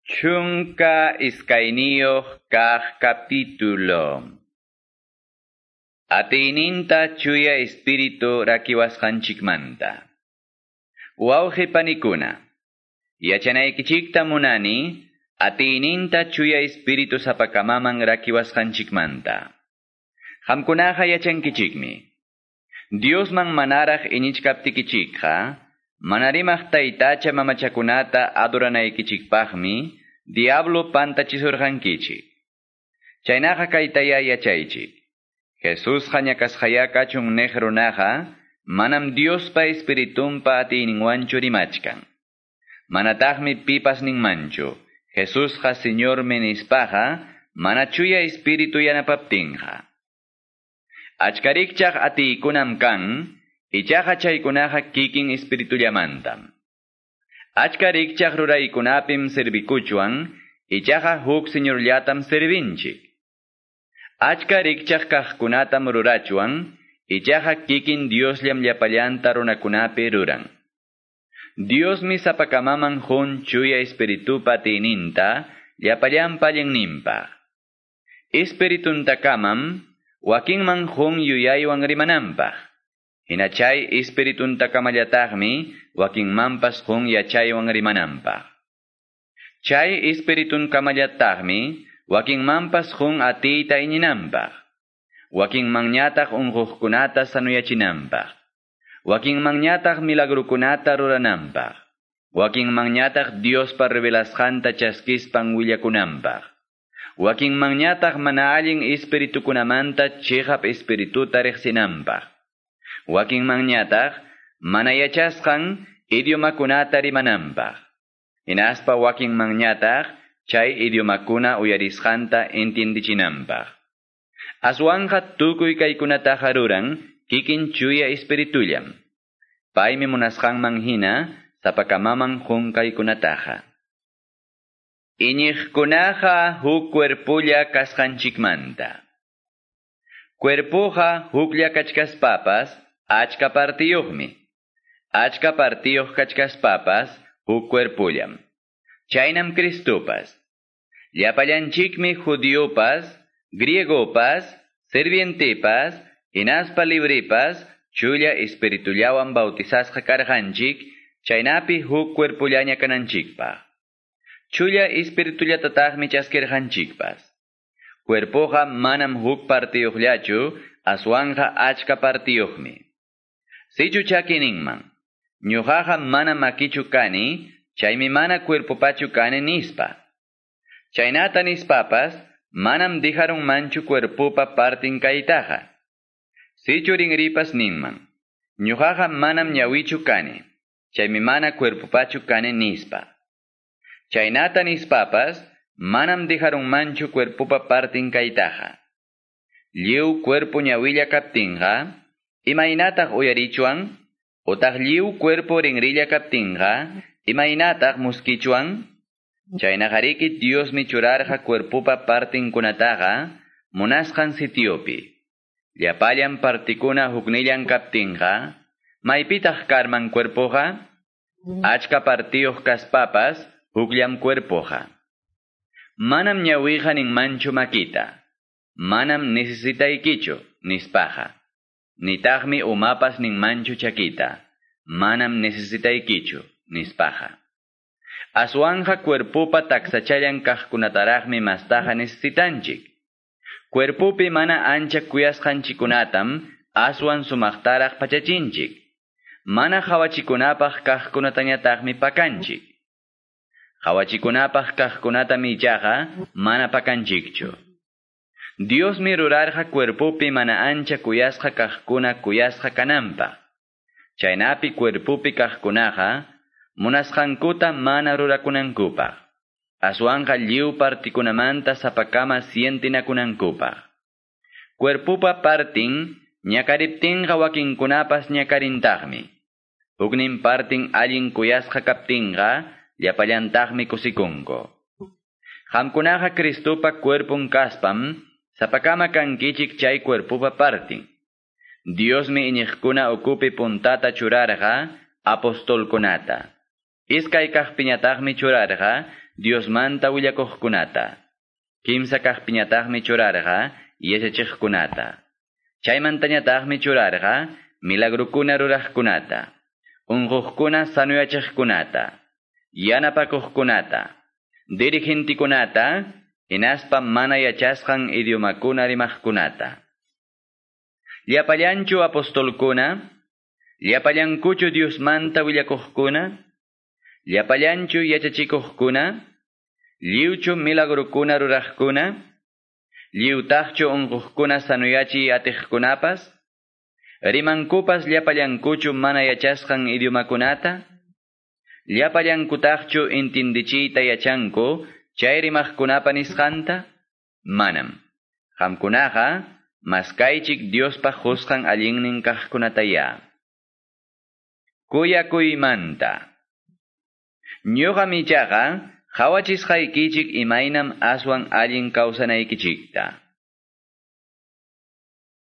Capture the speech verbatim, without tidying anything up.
Chunka iskayniyuq kaq capítulo. Atiyninta chuya espíritu rakiwasqanchikmanta. Wawqi panikuna, yachanaykichikta munani, atiyninta chuya espíritu sapakamaman rakiwasqanchikmanta. Qamkunaqa yachankichikmi. Diosman manaraq iñichkaptikichikqa, manarimaq taytacha mamachakunata adoranaykichikpaqmi, diablo pantachisurqankichik. Chaynaqa kaytaya yachaychik. Jesusqa ñakasqaya kachun niq runaqa, manam Diospa espiritunpa atiyninwanchu rimachkan. Manataqmi pipas ninmanchu, Jesusqa Señormi nispaqa, mana chuya espíritu yanapaptinqa. Achka rikchaq atiykunam kan, ichaqa chaykunaqa kikin espiritullamantam. Achka rikchaq ruraykunapim servikuchwan, ichaqa huk Señorllatam servinchik. Achka rikchaq kaqkunatam rurachwan, ichaqa kikin Diosllam llapallanta runakunapi ruran. Diosmi sapakamaman qun chuya espiritupa atiyninta, llapallanpa allinninpaq. Espirituntakamam, wakinman qun yuyaywan rimananpaq. Hina chay espirituntakamallataqmi, wakinmanpas qun yachaywan rimananpaq. Chay espiritunkamallataqmi, wakinmanpas qun atiyta iñinanpaq. Wakinmanñataq unquqkunata sanuyachinanpaq. Wakinmanñataq milagrukunata rurananpaq. Wakinmanñataq Diospa revelasqanta chaskispan willakunanpaq. Wakinmanñataq mana allin espiritukunamanta chiqap espirituta riqsinanpaq. Wakinmanñataq mana yachasqan idiomakunata rimananpaq. Hinaspa wakinmanñataq chay idiomakuna uyarisqanta entiendichinanpaq. Aswanqa tukuy kaykunataqa ruran kikin chuya espiritullam. Paymi munasqanman hina sapakamaman qun kaykunataqa. Iñiqkunaqa huk cuerpulla kasqanchikmanta. Cuerpuqa huklla kachkaspapas achka partiyuqmi. Achka partiyuq kachkaspapas huk cuerpullam. Chaynam Cristopas. Llapallanchikmi judiopas, griegopas, sirvientepas, hinaspa libripas, chulla espiritullawan bautizasqa karqanchik, chaynapi huk cuerpullaña kananchikpaq. Chulla espiritullatataqmi chaskirqanchikpas. Cuerpoqa manam huk partiyuqllachu, aswanqa achka partiyuqmi. Sichu chaki ninman, ñuqaqa mana makichu kani, chaymi mana cuerpopachu kani nispa. Chaynata nispapas, manam dijarunmanchu cuerpopa partin kaytaqa. Sichu rinripas ninman, ñuqaqa manam ñawichu kani, chaymi mana cuerpopachu kani nispa. Chaynata nispapas, manam dijarunmanchu cuerpopa partin kaytaqa. Lliw cuerpo ñawilla kaptinqa, imaynataq uyarichwan, utaq lliw cuerpo rinrilla kaptinqa, imaynataq muskichwan? Chaynaqariki Diosmi churarqa cuerpopa partinkunataqa munasqan sitiopi. Llapallan partikuna huknillan kaptinqa, maypitaq karman cuerpoqa? Achka partiyuq kaspapas, hukllam cuerpoqa. Manam ñawiqa ninmanchu makita. Manam necesitaykichu, nispaqa. Nitaqmi umapas ninmanchu chakita. Manam necesitaykichu, nispaqa. Aswanja cuerpopa taksachallan kaqkunataraqmi mastaqa necesitanchik. Cuerpopi mana ancha kuyasqanchikunatam aswan sumaqtaraq pachachinchik. Mana hawachikunapaq kaqkunatañataqmi pakanchik. Hawachikunapaq kaqkunatam ichaqa mana pakanchikchu. Diosmi rurarqa cuerpopi mana ancha kuyasqa kaqkuna kuyasqa kananpaq. Chaynapi cuerpopi kaqkunaqa munasqankuta mana rurakunankupaq. Aswanqa lliw partikunamanta sapakama sientinakunankupaq. Cuerpopa partin ñakariptinqa wakinkunapas ñakarintaqmi. Huknin partin allin kuyasqa kaptinqa llapallantaqmi kusikunku. Qamkunaqa Cristopa cuerpon kaspam, sapakama kankichik chay cuerpopa partin. Diosmi iñiqkuna ukupi puntata churarqa apostolkunata. Iskay kaqpiñataqmi churarqa Diosmanta willakuqkunata. Kimsa kaqpiñataqmi churarqa yachachiqkunata. Chaymantañataqmi churarqa milagrukuna ruraqkunata, unquqkuna sanuyachiqkunata, yanapakuqkunata, dirigentikunata, hinaspa mana yachasqan idiomakuna rimaqkunata. Llapallanchu apostolkuna, llapallankuchu Diosmanta willakuqkuna, llapallanchu yachachikuqkuna, lliwchu milagrukuna ruraqkuna, lliwtaqchu unquqkuna sanuyachiy atiqkunapas, rimankupas llapallankuchu mana yachasqan idiomakunata, llapallankutaqchu intindichiyta yachanku chay rimaqkunapa nisqanta, manam. Qamkunaqa maskaychik Diospa qusqan allinnin kaqkunataya. Kuyakuymanta. Ñuqam ichaqa qhawachisqaykichik imaynam aswan allin kawsanaykichikta.